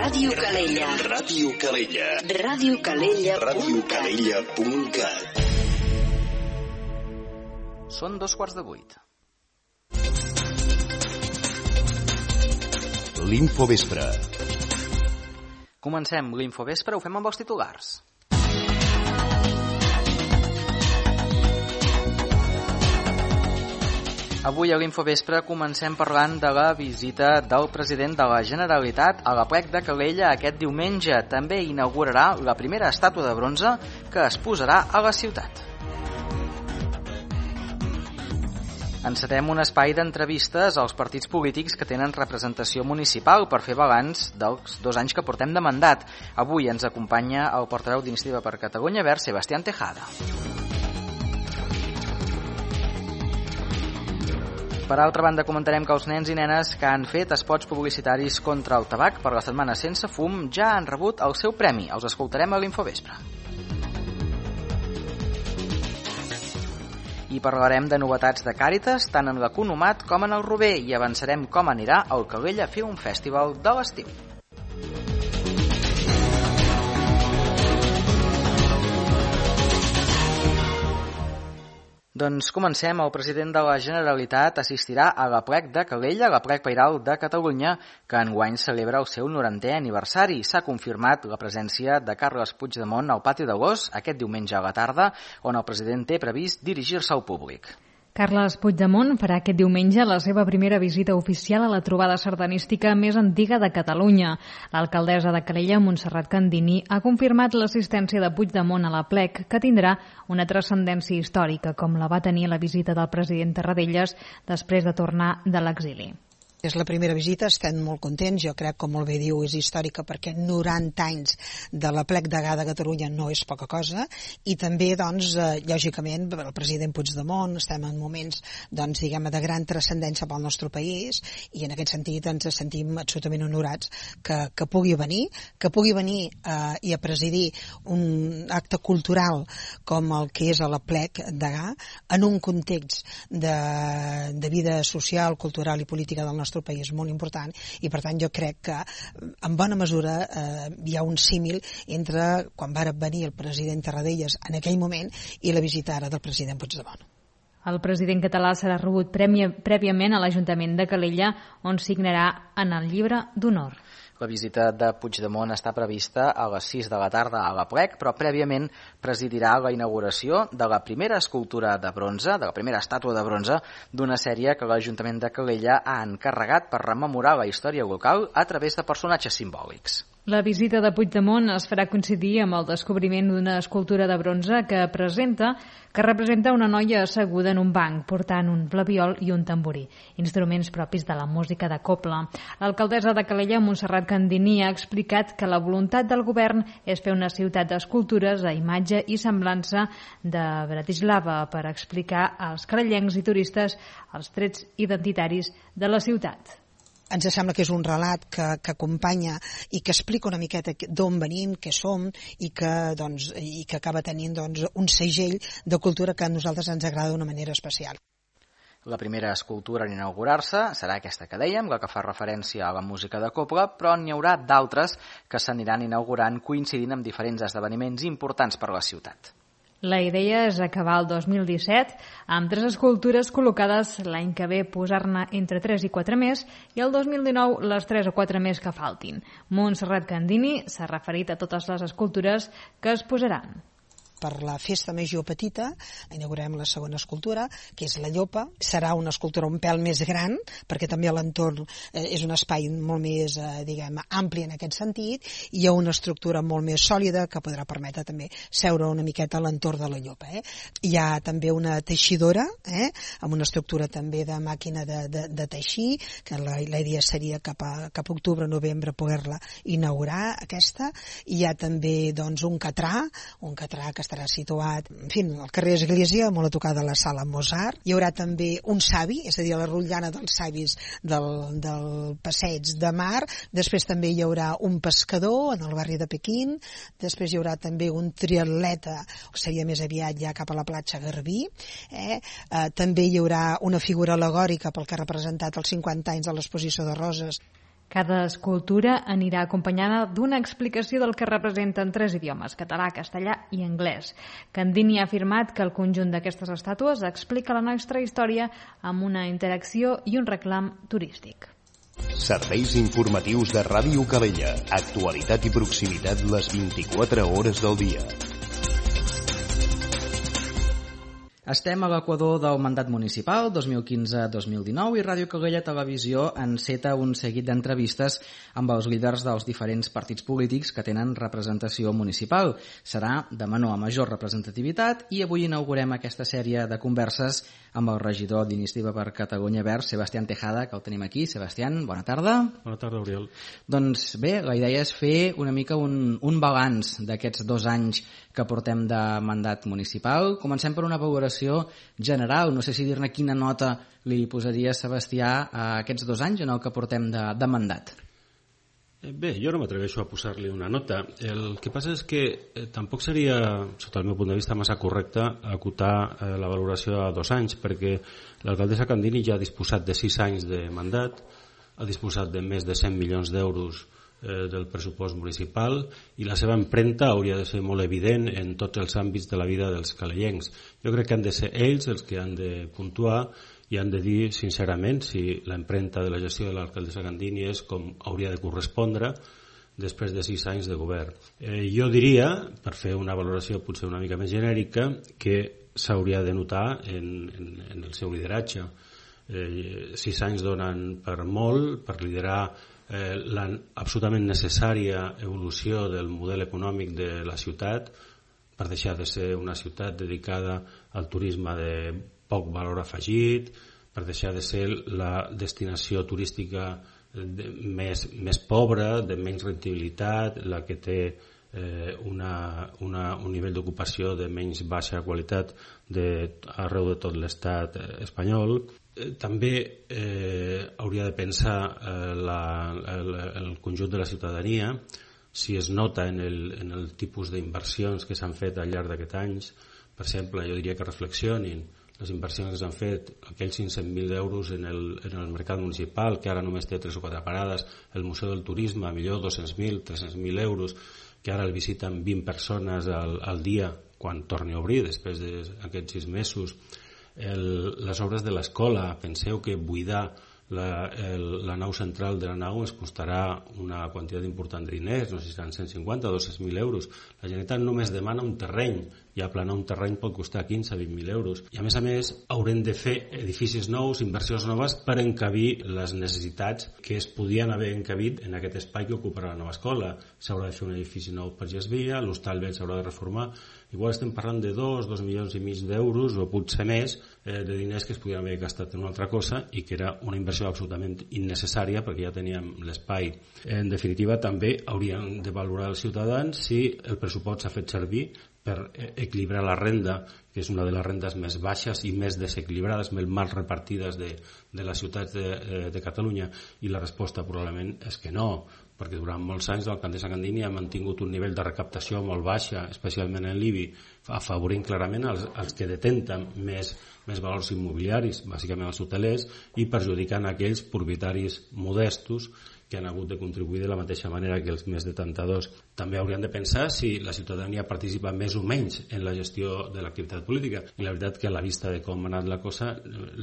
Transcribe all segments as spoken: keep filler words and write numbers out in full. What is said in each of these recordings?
Ràdio Calella. Ràdio Calella. Ràdio Calella. Ràdio Calella punt cat. Són dos quarts de vuit. L'Infovespre. Comencem l'Infovespre, ho fem amb els titulars. Avui a l'Infovespre comencem parlant de la visita del president de la Generalitat a l'Aplec de Calella aquest diumenge. També inaugurarà la primera estàtua de bronze que es posarà a la ciutat. Encetem un espai d'entrevistes als partits polítics que tenen representació municipal per fer balanç dels dos anys que portem de mandat. Avui ens acompanya el portaveu d'Iniciativa per Catalunya Verds, Sebastián Tejada. Per altra banda, comentarem que els nens i nenes que han fet espots publicitaris contra el tabac per la setmana sense fum ja han rebut el seu premi. Els escoltarem a l'Infovespre. I parlarem de novetats de Càritas, tant en l'Economat com en el Rober, i avançarem com anirà el Calella Film Festival de l'estiu. Doncs comencem. El president de la Generalitat assistirà a l'Aplec de Calella, l'Aplec Pairal de Catalunya, que enguany celebra el seu norantè aniversari. S'ha confirmat la presència de Carles Puigdemont al pati de l'Os aquest diumenge a la tarda, on el president té previst dirigir-se al públic. Carles Puigdemont farà aquest diumenge la seva primera visita oficial a la trobada sardanística més antiga de Catalunya. L'alcaldessa de Calella, Montserrat Candini, ha confirmat l'assistència de Puigdemont a l'Aplec, que tindrà una transcendència històrica, com la va tenir la visita del president Tarradellas després de tornar de l'exili. És la primera visita, estem molt contents, jo crec, com molt bé diu, és històrica perquè noranta anys de l'Aplec Degà de Catalunya no és poca cosa, i també, doncs, eh, lògicament, el president Puigdemont, estem en moments, doncs, diguem, de gran transcendència pel nostre país, i en aquest sentit ens sentim absolutament honorats que, que pugui venir, que pugui venir eh, i a presidir un acte cultural com el que és a l'Aplec Degà, en un context de, de vida social, cultural i política del nostre nostre país molt important, i per tant jo crec que en bona mesura eh, hi ha un símil entre quan va venir el president Tarradellas en aquell moment i la visita ara del president Puigdemont. El president català serà rebut prèviament a l'Ajuntament de Calella, on signarà en el llibre d'honor. La visita de Puigdemont està prevista a les sis de la tarda a l'Aplec, però prèviament presidirà la inauguració de la primera escultura de bronze, de la primera estàtua de bronze, d'una sèrie que l'Ajuntament de Calella ha encarregat per rememorar la història local a través de personatges simbòlics. La visita de Puigdemont es farà coincidir amb el descobriment d'una escultura de bronze que presenta que representa una noia asseguda en un banc portant un flabiol i un tamborí, instruments propis de la música de cobla. L'alcaldessa de Calella, Montserrat Candini, ha explicat que la voluntat del govern és fer una ciutat d'escultures a imatge i semblança de Bratislava per explicar als carellencs i turistes els trets identitaris de la ciutat. Ens sembla que és un relat que, que acompanya i que explica una miqueta d'on venim, què som, i que, doncs, i que acaba tenint, doncs, un segell de cultura que a nosaltres ens agrada d'una manera especial. La primera escultura en inaugurar-se serà aquesta que dèiem, la que fa referència a la música de cobla, però n'hi haurà d'altres que s'aniran inaugurant coincidint amb diferents esdeveniments importants per a la ciutat. La idea és acabar el dos mil disset amb tres escultures col·locades l'any que ve, posar-ne entre tres i quatre més, i el dos mil dinou les tres o quatre més que faltin. Montserrat Candini s'ha referit a totes les escultures que es posaran. Per la festa major petita inaugurem la segona escultura, que és la Llopa. Serà una escultura un pèl més gran, perquè també l'entorn eh, és un espai molt més, eh, diguem, ampli en aquest sentit, i hi ha una estructura molt més sòlida que podrà permetre també seure una miqueta a l'entorn de la Llopa. Eh? Hi ha també una teixidora, eh? amb una estructura també de màquina de, de, de teixir, que la, la idea seria cap a, cap a octubre o novembre poder-la inaugurar, aquesta. Hi ha també, doncs, un catrà, un catrà que estarà situat, en fi, al carrer Església, molt a tocar de la sala Mozart. Hi haurà també un savi, és a dir, la rotllana dels savis del, del passeig de mar. Després també hi haurà un pescador en el barri de Pequín. Després hi haurà també un triatleta, que seria més aviat ja cap a la platja Garbí. Eh? Eh, també hi haurà una figura al·legòrica pel que ha representat els cinquanta anys de l'exposició de Roses. Cada escultura anirà acompanyada d'una explicació del que representa en tres idiomes, català, castellà i anglès. Candini ha afirmat que el conjunt d'aquestes estàtues explica la nostra història amb una interacció i un reclam turístic. Serveis informatius de Ràdio Calella. Actualitat i proximitat les vint-i-quatre hores del dia. Estem a l'equador del mandat municipal dos mil quinze dos mil dinou i Ràdio Calella Televisió enceta un seguit d'entrevistes amb els líders dels diferents partits polítics que tenen representació municipal. Serà de menor a major representativitat i avui inaugurem aquesta sèrie de converses amb el regidor d'Iniciativa per Catalunya Verds, Sebastián Tejada, que el tenim aquí. Sebastián, bona tarda. Bona tarda, Oriol. Doncs bé, la idea és fer una mica un, un balanç d'aquests dos anys que portem de mandat municipal. Comencem per una valoració general. No sé si dir-ne quina nota li posaria Sebastià a aquests dos anys en el que portem de, de mandat. Bé, jo no m'atreveixo a posar-li una nota. El que passa és que eh, tampoc seria, sota el meu punt de vista, massa correcte acotar eh, la valoració a dos anys, perquè l'alcaldessa Candini ja ha disposat de sis anys de mandat, ha disposat de més de cent milions d'euros eh, del pressupost municipal i la seva empremta hauria de ser molt evident en tots els àmbits de la vida dels calellencs. Jo crec que han de ser ells els que han de puntuar i han de dir sincerament si l'empremta de la gestió de l'alcaldessa Candini és com hauria de correspondre després de sis anys de govern. Eh, jo diria, per fer una valoració potser una mica més genèrica, que s'hauria de notar en, en, en el seu lideratge. Eh, sis anys donen per molt, per liderar eh, la absolutament necessària evolució del model econòmic de la ciutat, per deixar de ser una ciutat dedicada al turisme de poc valor afegit, per deixar de ser la destinació turística de, més, més pobra, de menys rentabilitat, la que té eh, una, una, un nivell d'ocupació de menys baixa qualitat de, arreu de tot l'estat espanyol. Eh, també eh, hauria de pensar eh, la, el, el conjunt de la ciutadania si es nota en el, en el tipus d'inversions que s'han fet al llarg d'aquests anys. Per exemple, jo diria que reflexionin les inversions que s'han fet, aquells cinc-cents mil euros en el, en el mercat municipal, que ara només té tres o quatre parades, el Museu del Turisme, millor dos-cents mil, tres-cents mil euros, que ara el visiten vint persones al, al dia quan torni a obrir, després d'aquests sis mesos. El, les obres de l'escola, penseu que buidar la, el, la nau central de la nau es costarà una quantitat important de diners, no sé si seran cent cinquanta o dos-cents mil euros. La Generalitat només demana un terreny, i aplanar un terreny pot costar quinze a vint mil euros. I a més a més haurem de fer edificis nous, inversions noves per encabir les necessitats que es podien haver encabit en aquest espai que ocuparà la nova escola. S'haurà de fer un edifici nou per Gesvia, l'hostal vell s'haurà de reformar. Igual estem parlant de dos, dos milions i mig d'euros o potser més eh, de diners que es podien haver gastat en una altra cosa i que era una inversió absolutament innecessària perquè ja teníem l'espai. En definitiva, també hauríem de valorar els ciutadans si el pressupost s'ha fet servir per equilibrar la renda, que és una de les rendes més baixes i més desequilibrades, més mal repartides de, de les ciutats de, de Catalunya, i la resposta probablement és que no, perquè durant molts anys l'alcaldessa Candini ha mantingut un nivell de recaptació molt baixa, especialment en l'I B I, afavorint clarament els, els que detenten més, més valors immobiliaris, bàsicament els hotelers, i perjudicant aquells propietaris modestos que han hagut de contribuir de la mateixa manera que els més detentadors. També haurien de pensar si la ciutadania participa més o menys en la gestió de l'activitat política. I la veritat que a la vista de com ha anat la cosa,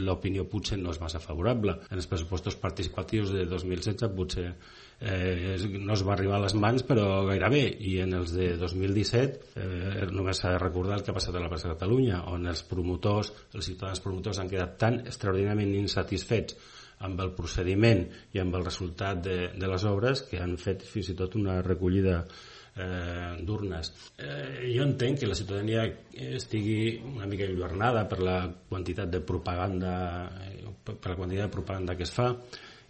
l'opinió potser no és massa favorable. En els pressupostos participatius de dos mil setze potser eh, no es va arribar a les mans, però gairebé. I en els de dos mil disset eh, només s'ha de recordar el que ha passat a la plaça de Catalunya, on els promotors, els ciutadans promotors han quedat tan extraordinàriament insatisfets amb el procediment i amb el resultat de, de les obres que han fet fins i tot una recollida eh, d'urnes. Eh, jo entenc que la ciutadania estigui una mica enlluernada per la quantitat de propaganda per la quantitat de propaganda que es fa,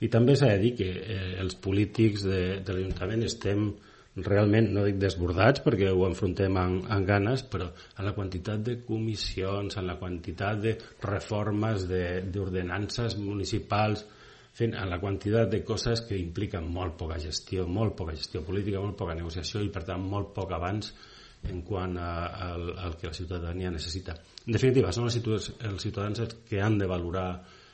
i també s'ha de dir que eh, els polítics de, de l'Ajuntament estem realment, no dic desbordats perquè ho enfrontem amb, amb ganes, però en la quantitat de comissions, en la quantitat de reformes d'ordenances municipals, en la quantitat de coses que impliquen molt poca gestió, molt poca gestió política, molt poca negociació i per tant molt poc avanç en quant al, al que la ciutadania necessita. En definitiva, són els ciutadans els que han de valorar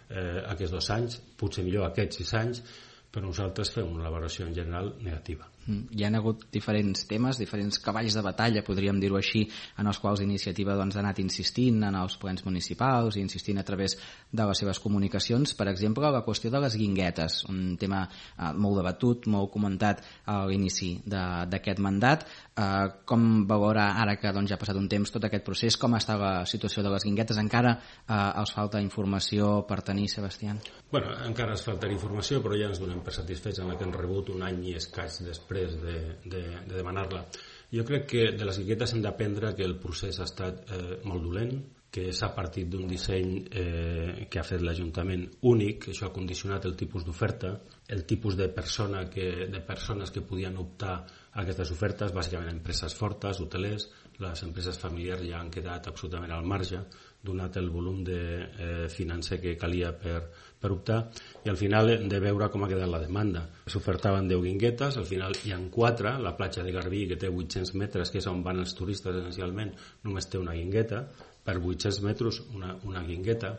eh, aquests dos anys, potser millor aquests sis anys, però nosaltres fem una valoració en general negativa. Hi ha hagut diferents temes, diferents cavalls de batalla, podríem dir-ho així, en els quals Iniciativa doncs, ha anat insistint en els plens municipals i insistint a través de les seves comunicacions. Per exemple, la qüestió de les guinguetes, un tema eh, molt debatut, molt comentat a l'inici d'aquest mandat. Eh, com valora ara que doncs, ja ha passat un temps tot aquest procés, com està la situació de les guinguetes? Encara eh, els falta informació per tenir, Sebastián? Bueno, encara ens falta informació, però ja ens donem per satisfets en la que hem rebut un any i escaig després de, de, de demanar-la. Jo crec que de les guinguetes hem d'aprendre que el procés ha estat eh, molt dolent, que s'ha partit d'un disseny eh, que ha fet l'Ajuntament únic, que això ha condicionat el tipus d'oferta, el tipus de, persona que, de persones que podien optar a aquestes ofertes, bàsicament empreses fortes, hotelers. Les empreses familiars ja han quedat absolutament al marge, donat el volum de eh, financer que calia per, per optar, i al final hem de veure com ha quedat la demanda. S'ofertaven deu guinguetes, al final hi ha quatre, la platja de Garbí, que té vuit-cents metres, que és on van els turistes essencialment, només té una guingueta, per vuit-cents metres una, una guingueta.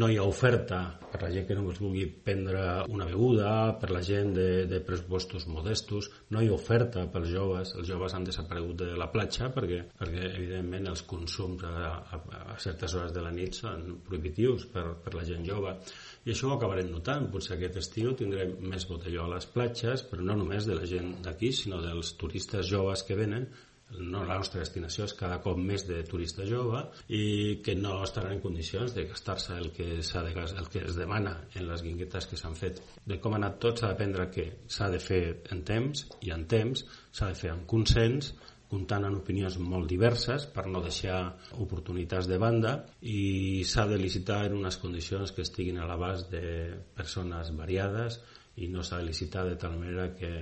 No hi ha oferta per la gent que només vulgui prendre una beguda, per la gent de, de pressupostos modestos, no hi ha oferta pels joves, els joves han desaparegut de la platja perquè, perquè evidentment els consums a, a, a certes hores de la nit són prohibitius per, per la gent jove, i això ho acabarem notant. Potser aquest estiu tindrem més botelló a les platges, però no només de la gent d'aquí, sinó dels turistes joves que venen. No, la nostra destinació és cada cop més de turista jove i que no estaran en condicions de gastar-se el que, s'ha de, el que es demana en les guinguetes que s'han fet. De com ha anat tot s'ha d'aprendre que s'ha de fer en temps, i en temps s'ha de fer amb consens, comptant amb opinions molt diverses per no deixar oportunitats de banda, i s'ha de licitar en unes condicions que estiguin a l'abast de persones variades, i no s'ha de licitar de tal manera que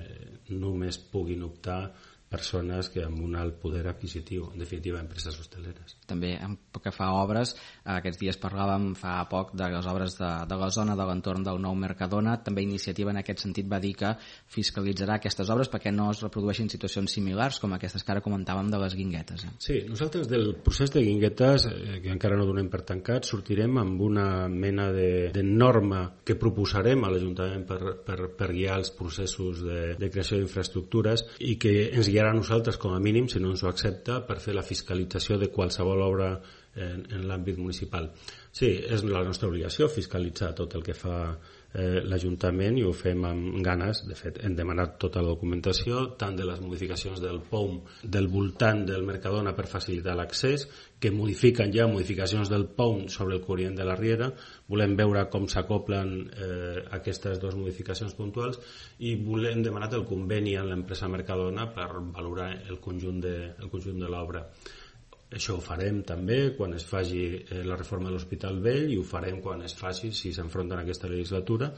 només puguin optar persones que amb un alt poder adquisitiu, en definitiva empreses hosteleres. També pel que fa a obres, aquests dies parlàvem fa poc de les obres de, de la zona de l'entorn del nou Mercadona. També Iniciativa en aquest sentit va dir que fiscalitzarà aquestes obres perquè no es reprodueixin situacions similars com aquestes que ara comentàvem de les guinguetes. Eh? Sí, nosaltres del procés de guinguetes, eh, que encara no donem per tancat, sortirem amb una mena de, de norma que proposarem a l'Ajuntament per, per, per guiar els processos de, de creació d'infraestructures, i que ens guiarà a nosaltres com a mínim, si no ens ho accepta, per fer la fiscalització de qualsevol obra en, en l'àmbit municipal. Sí, és la nostra obligació fiscalitzar tot el que fa eh, l'Ajuntament, i ho fem amb ganes. De fet, hem demanat tota la documentació, tant de les modificacions del P O M del voltant del Mercadona per facilitar l'accés, que modifiquen ja modificacions del P O M sobre el corrient de la Riera. Volem veure com s'acoplen eh, aquestes dues modificacions puntuals, i volem demanar el conveni amb l'empresa Mercadona per valorar el conjunt de, el conjunt de l'obra. Això ho farem també quan es faci eh, la reforma de l'Hospital Vell, i ho farem quan es faci, si s'enfronta en aquesta legislatura,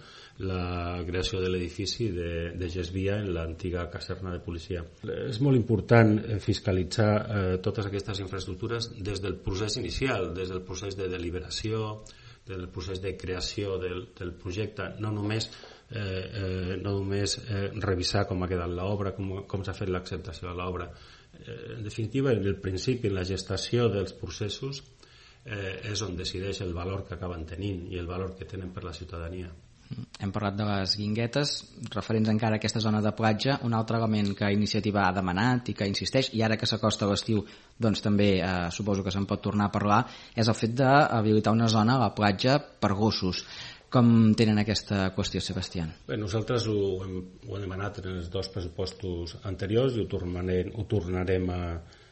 la creació de l'edifici de, de Gesvia en l'antiga caserna de policia. És molt important fiscalitzar eh, totes aquestes infraestructures des del procés inicial, des del procés de deliberació, des del procés de creació del, del projecte, no només Eh, eh, no només eh, revisar com ha quedat l'obra, com, com s'ha fet l'acceptació de l'obra. Eh, en definitiva, en el principi, en la gestació dels processos, eh, és on decideix el valor que acaben tenint i el valor que tenen per la ciutadania. Hem parlat de les guinguetes, referents encara a aquesta zona de platja. Un altre element que Iniciativa ha demanat i que insisteix, i ara que s'acosta l'estiu doncs també eh, suposo que se'n pot tornar a parlar, és el fet d'habilitar una zona a la platja per gossos. Com tenen aquesta qüestió, Sebastián? Bé, nosaltres ho hem, ho hem demanat en els dos pressupostos anteriors, i ho tornarem, ho tornarem a,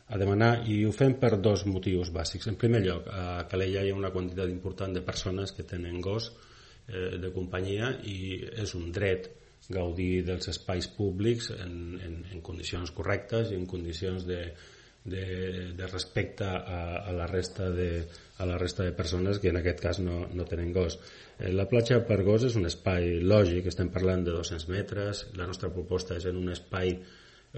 a demanar, i ho fem per dos motius bàsics. En primer lloc, a Calella hi ha una quantitat important de persones que tenen gos eh, de companyia, i és un dret gaudir dels espais públics en, en, en condicions correctes i en condicions de, de, de respecte a, a, la resta de, a la resta de persones que en aquest cas no, no tenen gos. La platja per gos és un espai lògic, estem parlant de dos-cents metres, la nostra proposta és en un espai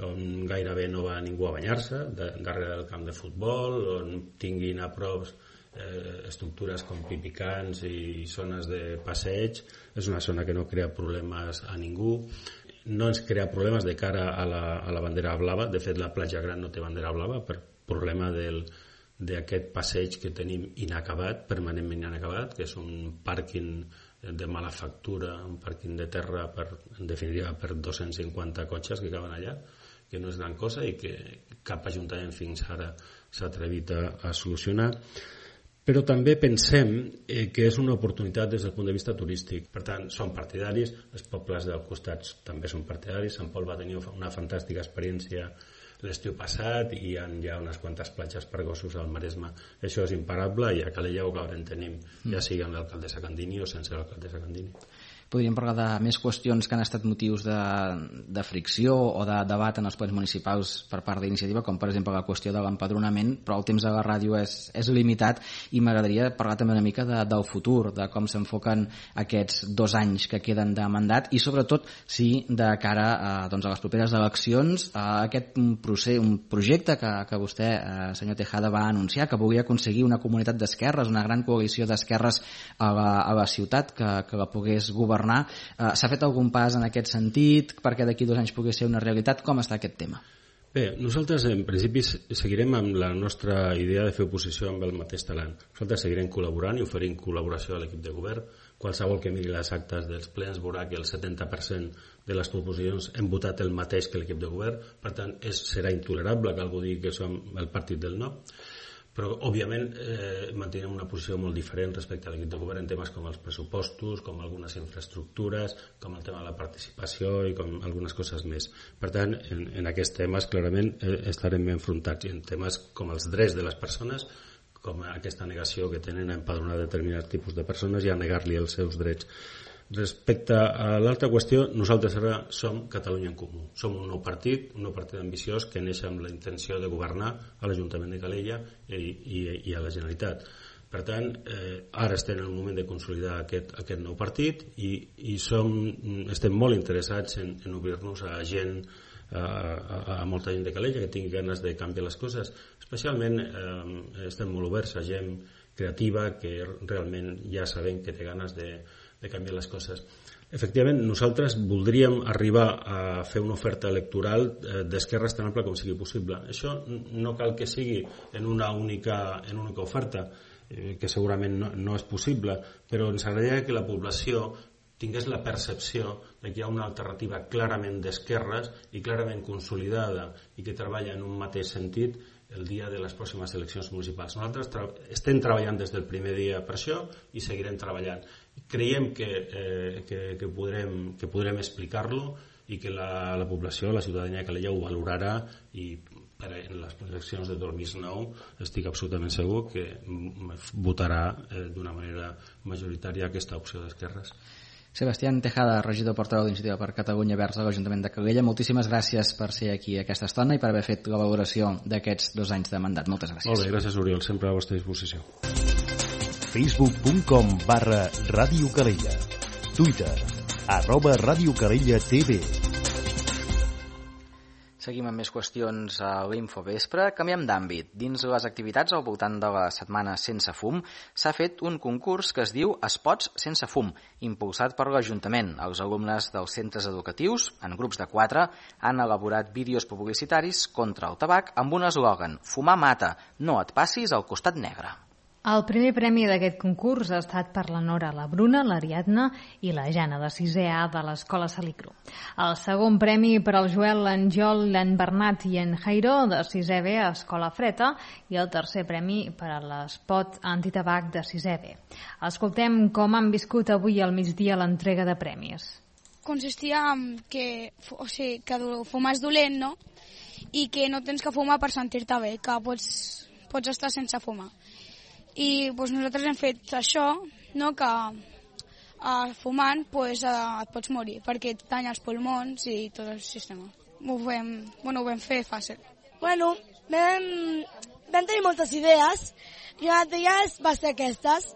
on gairebé no va ningú a banyar-se, de, darrere del camp de futbol, on tinguin a prop eh, estructures com pipicans i zones de passeig. És una zona que no crea problemes a ningú, no ens crea problemes de cara a la, a la bandera blava. De fet, la platja gran no té bandera blava per problema del d'aquest passeig que tenim inacabat, permanentment inacabat, que és un pàrquing de mala factura, un pàrquing de terra per, en definitiva per dos-cents cinquanta cotxes que caben allà, que no és gran cosa i que cap ajuntament fins ara s'ha atrevit a, a solucionar. Però també pensem eh, que és una oportunitat des del punt de vista turístic. Per tant, som partidaris, els pobles del costat també són partidaris. Sant Pol va tenir una fantàstica experiència l'estiu passat i hi ha ja unes quantes platges per gossos al Maresme. Això és imparable i a Calella ho acabarem tenint, ja sigui amb l'alcaldessa Candini o sense l'alcaldessa Candini. Podríem parlar de més qüestions que han estat motius de, de fricció o de debat en els plens municipals per part d'iniciativa, com per exemple la qüestió de l'empadronament, però el temps de la ràdio és, és limitat i m'agradaria parlar també una mica de, del futur, de com s'enfoquen aquests dos anys que queden de mandat i sobretot si de cara a, doncs, a les properes eleccions a aquest procés, un projecte que, que vostè, eh, senyor Tejada, va anunciar, que volia aconseguir una comunitat d'esquerres, una gran coalició d'esquerres a, la, a la ciutat que, que la pogués governar. Uh, s'ha fet algun pas en aquest sentit perquè d'aquí dos anys pugui ser una realitat? Com està aquest tema? Bé, nosaltres en principi seguirem amb la nostra idea de fer oposició amb el mateix talent. Nosaltres seguirem col·laborant i oferint col·laboració a l'equip de govern. Qualsevol que miri les actes dels plens veurà que el setanta per cent de les proposicions hem votat el mateix que l'equip de govern. Per tant, és, serà intolerable que algú digui que som el partit del no. Però, òbviament, eh, mantenim una posició molt diferent respecte a l'equip de govern en temes com els pressupostos, com algunes infraestructures, com el tema de la participació i com algunes coses més. Per tant, en, en aquests temes, clarament, eh, estarem enfrontats. I en temes com els drets de les persones, com aquesta negació que tenen a empadronar determinats tipus de persones i a negar-li els seus drets. Respecte a l'altra qüestió, nosaltres ara som Catalunya en Comú. Som un nou partit, un nou partit ambiciós que neix amb la intenció de governar a l'Ajuntament de Calella i, i, i a la Generalitat. Per tant, eh, ara estem en el moment de consolidar aquest, aquest nou partit i, i som, estem molt interessats en, en obrir-nos a gent, a, a, a molta gent de Calella que tingui ganes de canviar les coses. Especialment eh, estem molt oberts a gent creativa que realment ja sabem que té ganes de de canviar les coses. Efectivament, nosaltres voldríem arribar a fer una oferta electoral d'esquerres tan ampla com sigui possible. Això no cal que sigui en una única, en una única oferta, que segurament no, no és possible, però ens agradaria que la població tingués la percepció de que hi ha una alternativa clarament d'esquerres i clarament consolidada i que treballa en un mateix sentit el dia de les pròximes eleccions municipals. Nosaltres tra- estem treballant des del primer dia per això i seguirem treballant. Creiem que, eh, que, que, podrem, que podrem explicar-lo i que la, la població, la ciutadania de Calella ho valorarà i per en les eleccions de dos mil nou estic absolutament segur que votarà eh, d'una manera majoritària aquesta opció d'esquerres. Sebastián Tejada, regidor portaveu d'Iniciativa per Catalunya Verds a l'Ajuntament de Calella, moltíssimes gràcies per ser aquí aquesta estona i per haver fet la valoració d'aquests dos anys de mandat. Moltes gràcies. Molt bé, gràcies Oriol, sempre a la vostra disposició. Facebook.com barra Ràdio Calella. Twitter, arroba Ràdio Calella T V. Seguim amb més qüestions a l'Infovespre. Canviem d'àmbit. Dins les activitats al voltant de la setmana sense fum s'ha fet un concurs que es diu Espots sense fum, impulsat per l'Ajuntament. Els alumnes dels centres educatius, en grups de quatre, han elaborat vídeos publicitaris contra el tabac amb un eslògan: fumar mata, no et passis al costat negre. El primer premi d'aquest concurs ha estat per la Nora, la Bruna, l'Ariadna i la Jana, de sisè A de l'Escola Salicro. El segon premi per al Joel, l'Anjol, l'en Bernat i en Jairo, de sisè B a Escola Freta, i el tercer premi per a l'Espot Antitabac de sisè B. Escoltem com han viscut avui al migdia l'entrega de premis. Consistia en que, o sigui, que fumar és dolent, no? I que no tens que fumar per sentir-te bé, que pots, pots estar sense fumar. I doncs, nosaltres hem fet això, no? Que uh, fumant pues, uh, et pots morir perquè et tanya els pulmons i tot el sistema. Ho vam, bueno, ho vam fer fàcil. Bueno, vam, vam tenir moltes idees i una d'elles va ser aquestes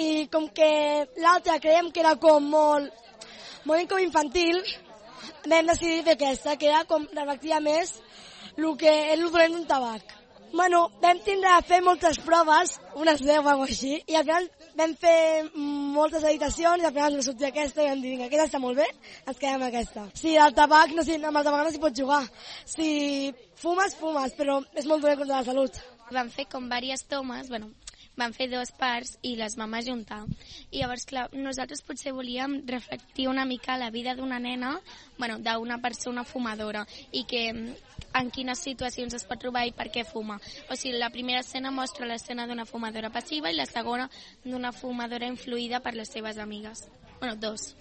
i com que l'altra creiem que era com molt, molt com infantil, vam decidir fer aquesta, que era com reflectia més el que és el dolent d'un tabac. Bueno, vam tindre a fer moltes proves, unes deu o alguna cosa així, i al final vam fer moltes editacions i al final ens va sortir aquesta i vam dir, vinga, aquesta està molt bé, ens quedem amb aquesta. Sí, el tabac, no, sí, amb el tabac no s'hi pot jugar. Si fumes, fumes, però és molt dolent contra la salut. Vam fer com diverses tomes, bueno, van fer dues parts i les vam ajuntar. I llavors, clar, nosaltres potser volíem reflectir una mica la vida d'una nena, bueno, d'una persona fumadora, i que en quines situacions es pot trobar i per què fuma. O sigui, la primera escena mostra l'escena d'una fumadora passiva i la segona d'una fumadora influïda per les seves amigues. Bueno, dos.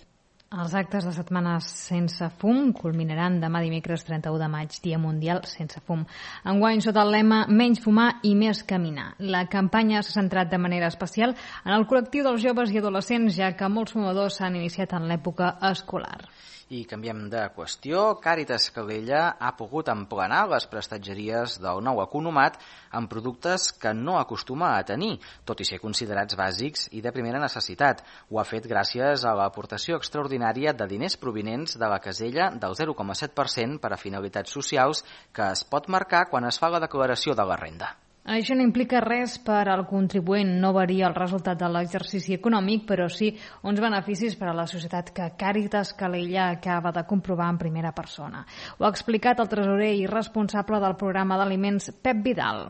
Els actes de Setmanes Sense Fum culminaran demà dimecres trenta-u de maig, Dia Mundial Sense Fum. Enguany, sota el lema Menys fumar i més caminar. La campanya s'ha centrat de manera especial en el col·lectiu dels joves i adolescents, ja que molts fumadors s'han iniciat en l'època escolar. I canviem de qüestió. Càritas Calella ha pogut emplenar les prestatgeries del nou economat amb productes que no acostuma a tenir, tot i ser considerats bàsics i de primera necessitat. Ho ha fet gràcies a l'aportació extraordinària de diners provinents de la casella del zero coma set per cent per a finalitats socials que es pot marcar quan es fa la declaració de la renda. Això no implica res per al contribuent, no varia el resultat de l'exercici econòmic, però sí uns beneficis per a la societat que Càritas Calella acaba de comprovar en primera persona. Ho ha explicat el tresorer i responsable del programa d'aliments, Pep Vidal.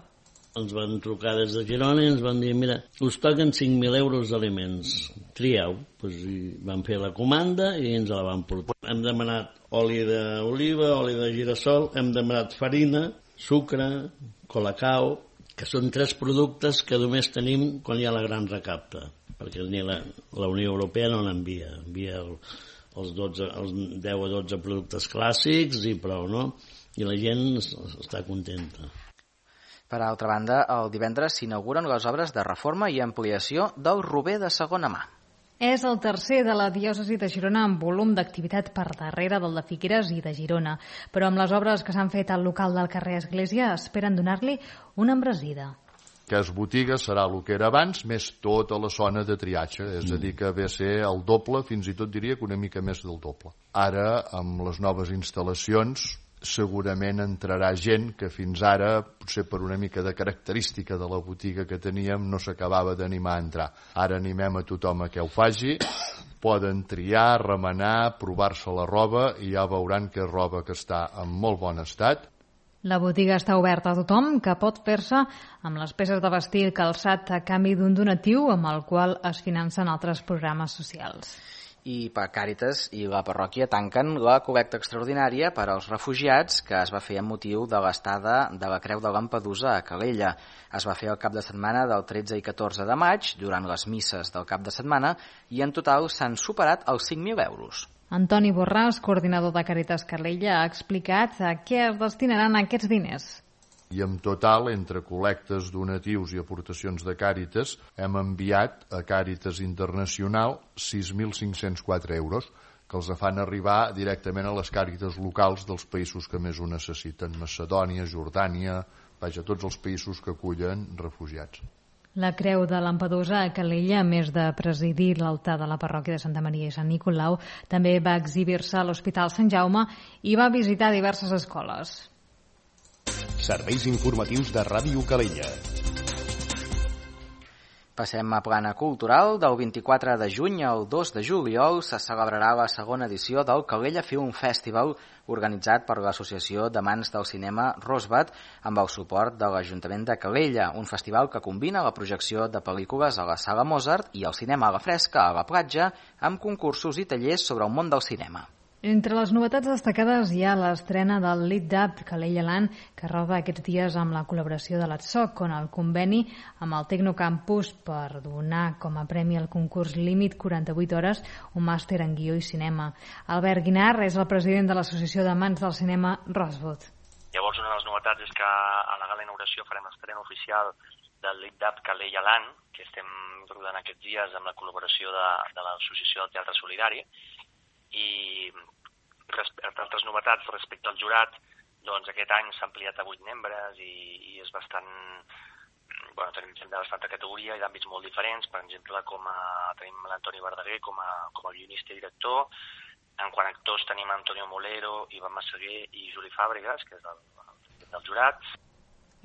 Ens van trucar des de Girona i ens van dir, mira, us toquen cinc mil euros d'aliments, trieu. Pues, i vam fer la comanda i ens la van portar. Hem demanat oli d'oliva, oli de girassol, hem demanat farina, sucre, colacao, que són tres productes que només tenim quan hi ha la gran recapta, perquè ni la, la Unió Europea no n'envia, envia el, els, dotze, els deu o dotze productes clàssics i prou, no? I la gent està contenta. Per altra banda, el divendres s'inauguren les obres de reforma i ampliació del Rober de segona mà. És el tercer de la diòcesi de Girona amb volum d'activitat per darrere del de Figueres i de Girona. Però amb les obres que s'han fet al local del carrer Església esperen donar-li una embranzida. Aquest botiga serà el que era abans, més tota la zona de triatge, és a dir, que ve a ser el doble, fins i tot diria que una mica més del doble. Ara, amb les noves instal·lacions, segurament entrarà gent que fins ara, potser per una mica de característica de la botiga que teníem, no s'acabava d'animar a entrar. Ara animem a tothom a que ho faci, poden triar, remenar, provar-se la roba i ja veuran que és roba que està en molt bon estat. La botiga està oberta a tothom, que pot fer-se amb les peces de vestir calçat a canvi d'un donatiu amb el qual es financen altres programes socials. I per Càritas i la parròquia tanquen la col·lecta extraordinària per als refugiats que es va fer amb motiu de l'estada de la Creu de Lampedusa a Calella. Es va fer el cap de setmana del tretze i catorze de maig, durant les misses del cap de setmana, i en total s'han superat els cinc mil euros. Antoni Borràs, coordinador de Càritas Calella, ha explicat a què es destinaran aquests diners. I en total, entre col·lectes, donatius i aportacions de Càritas, hem enviat a Càritas Internacional sis mil cinc-cents quatre euros, que els fan arribar directament a les Càritas locals dels països que més ho necessiten, Macedònia, Jordània, vaja, tots els països que acullen refugiats. La Creu de Lampedusa a Calella, a més de presidir l'altar de la parròquia de Santa Maria i Sant Nicolau, també va exhibir-se a l'Hospital Sant Jaume i va visitar diverses escoles. Serveis informatius de Ràdio Calella. Passem a plana cultural. Del vint-i-quatre de juny al dos de juliol se celebrarà la segona edició del Calella Film Festival, organitzat per l'Associació d'Amants del Cinema Rosbat amb el suport de l'Ajuntament de Calella, un festival que combina la projecció de pel·lícules a la Sala Mozart i el cinema a la fresca a la platja, amb concursos i tallers sobre el món del cinema. Entre les novetats destacades hi ha l'estrena del Lit Up Calella Land, que roda aquests dies amb la col·laboració de l'Atsoc, on el conveni amb el Tecnocampus per donar com a premi al concurs Límit quaranta-vuit hores un màster en guió i cinema. Albert Guinar és el president de l'Associació d'Amants del Cinema Roswood. Llavors, una de les novetats és que a la gala inauguració farem l'estrena oficial del Lit Up Calella Land, que estem rodant aquests dies amb la col·laboració de, de l'Associació del Teatre Solidari. I altres novetats respecte al jurat, doncs aquest any s'ha ampliat a vuit membres i, i és bastant, bueno, tenim gent de bastanta categoria i d'àmbits molt diferents. Per exemple, com a, tenim l'Antoni Verdaguer com a, com a guionista i director. En quant a actors tenim Antonio Molero, Ivan Massaguer i Juli Fàbregas, que és del, del jurat.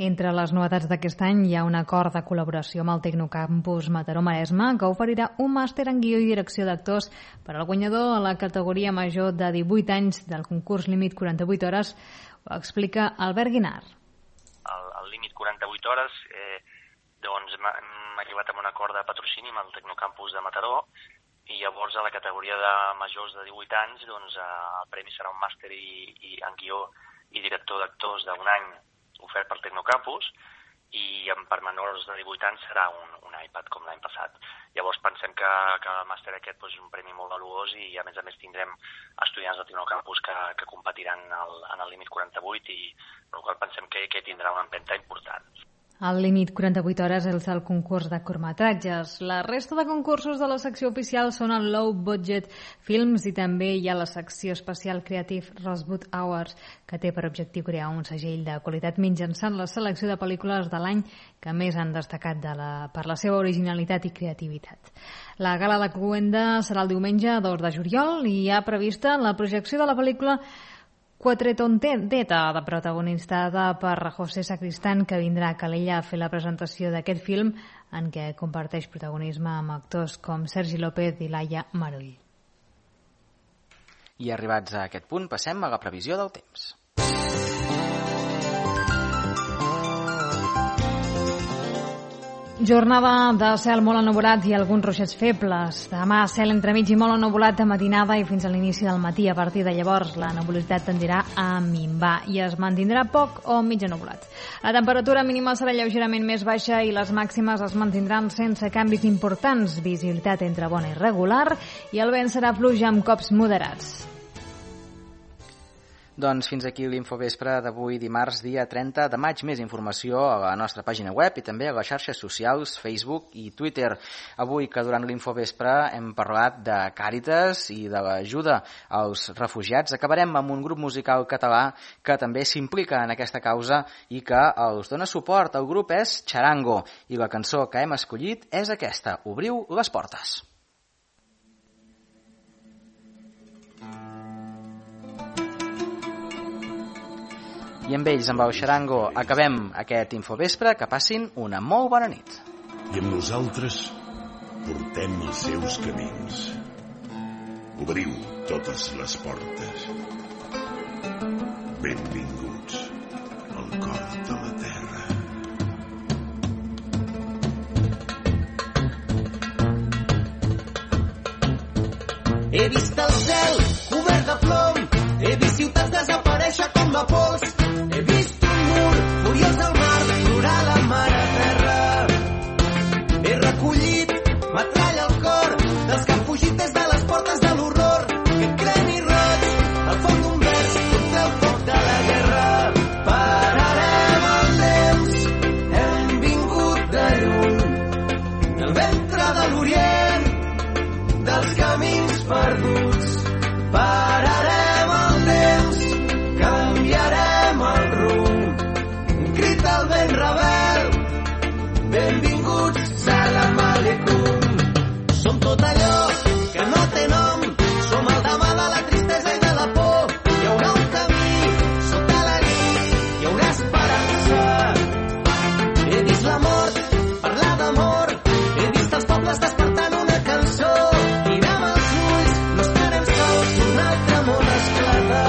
Entre les novetats d'aquest any hi ha un acord de col·laboració amb el Tecnocampus Mataró-Maresme que oferirà un màster en guió i direcció d'actors per al guanyador a la categoria major de divuit anys del concurs Límit quaranta-vuit hores. Ho explica Albert Guinar. El, el Límit quaranta-vuit hores eh, doncs arribat a un acord de patrocini amb el Tecnocampus de Mataró, i llavors a la categoria de majors de divuit anys doncs, el premi serà un màster i, i en guió i director d'actors d'un any ofert pel Tecnocampus, i per menors de divuit anys serà un, un iPad com l'any passat. Llavors pensem que, que el màster aquest doncs, és un premi molt valuós i a més a més tindrem estudiants del Tecnocampus que, que competiran el, en el límit quaranta-vuit i per la qual pensem que, que tindrà una empenta important. El límit quaranta-vuit hores és el concurs de curtmetratges. La resta de concursos de la secció oficial són el Low Budget Films i també hi ha la secció especial Creative Rosebud Awards, que té per objectiu crear un segell de qualitat mitjançant la selecció de pel·lícules de l'any que més han destacat de la, per la seva originalitat i creativitat. La gala de Cluenda serà el diumenge dos de juliol i hi ha prevista la projecció de la pel·lícula Quattretonteta, de protagonitzada per José Sacristán, que vindrà a Calella a fer la presentació d'aquest film en què comparteix protagonisme amb actors com Sergi López i Laia Marull. I arribats a aquest punt passem a la previsió del temps. Jornada de cel molt ennuvolat i alguns ruixats febles. Demà cel entremig i molt ennuvolat de matinada i fins a l'inici del matí. A partir de llavors la nebulositat tendirà a minvar i es mantindrà poc o mig ennuvolat. La temperatura mínima serà lleugerament més baixa i les màximes es mantindran sense canvis importants. Visibilitat entre bona i regular i el vent serà fluix amb cops moderats. Doncs fins aquí l'Infovespre d'avui dimarts, dia trenta de maig. Més informació a la nostra pàgina web i també a les xarxes socials, Facebook i Twitter. Avui, que durant l'Infovespre hem parlat de Càritas i de l'ajuda als refugiats, acabarem amb un grup musical català que també s'implica en aquesta causa i que els dona suport. El grup és Charango i la cançó que hem escollit és aquesta, Obriu les portes. I amb ells, amb el Charango, acabem aquest Infovespre. Que passin una molt bona nit. I amb nosaltres portem els seus camins. Obriu totes les portes. Benvinguts al cor de la terra. He vist el cel cobert de plom, he vist ciutats desaparèixer com la pols. He vist un mur furiós al mar, plorar la mare terra. He recollit metralla al cor dels que han fugit des de les portes de l'horror. Que cremi roig al fons d'un vers contra el foc de la guerra. Pararem el temps, hem vingut de lluny, del ventre de l'Orient, dels camins perduts. Pararem el temps, canviarem el rumb, un crit al vent rebel, benvinguts, salam aleikum. Som tot allò que no té nom, som el demà de la tristesa i de la por. Hi haurà un camí, sota la nit, hi haurà esperança. He vist la mort, parlar d'amor, he vist els pobles despertant una cançó. Mirem els ulls, no estarem sols, un altre món esclata.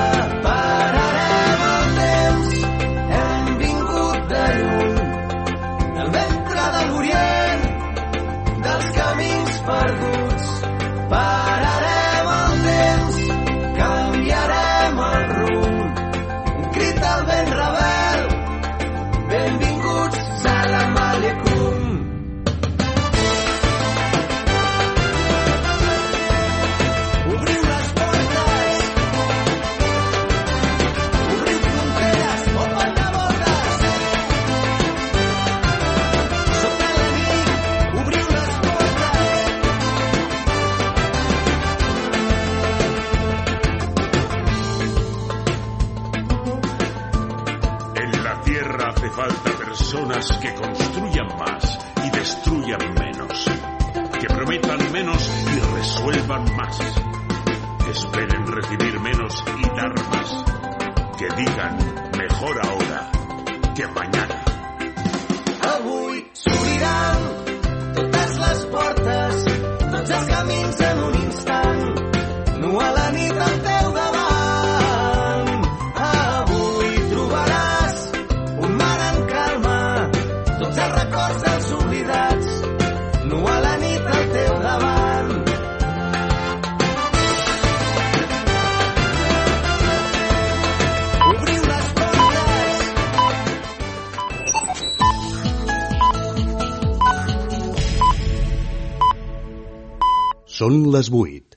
Pararem el temps, hem vingut de lluny, del ventre de l'Orient, dels camins perduts. Pararem el temps, canviarem el rumb, un crit al vent rebel, benvinguts, salam aleikum. Obriu les portes, obriu fronteres, open de voltes. Sota la nit, obriu les portes. En la tierra hace falta personas que construyan más y destruyan menos, que prometan menos y resuelvan más, que esperen recibir menos y dar más, que digan mejor ahora que mañana. Avui s'obriran totes les portes, tots els camins en un instant, nu a la nit al teu davant. Avui trobaràs un mar en calma, tots els records dels oblidats, Són les vuit.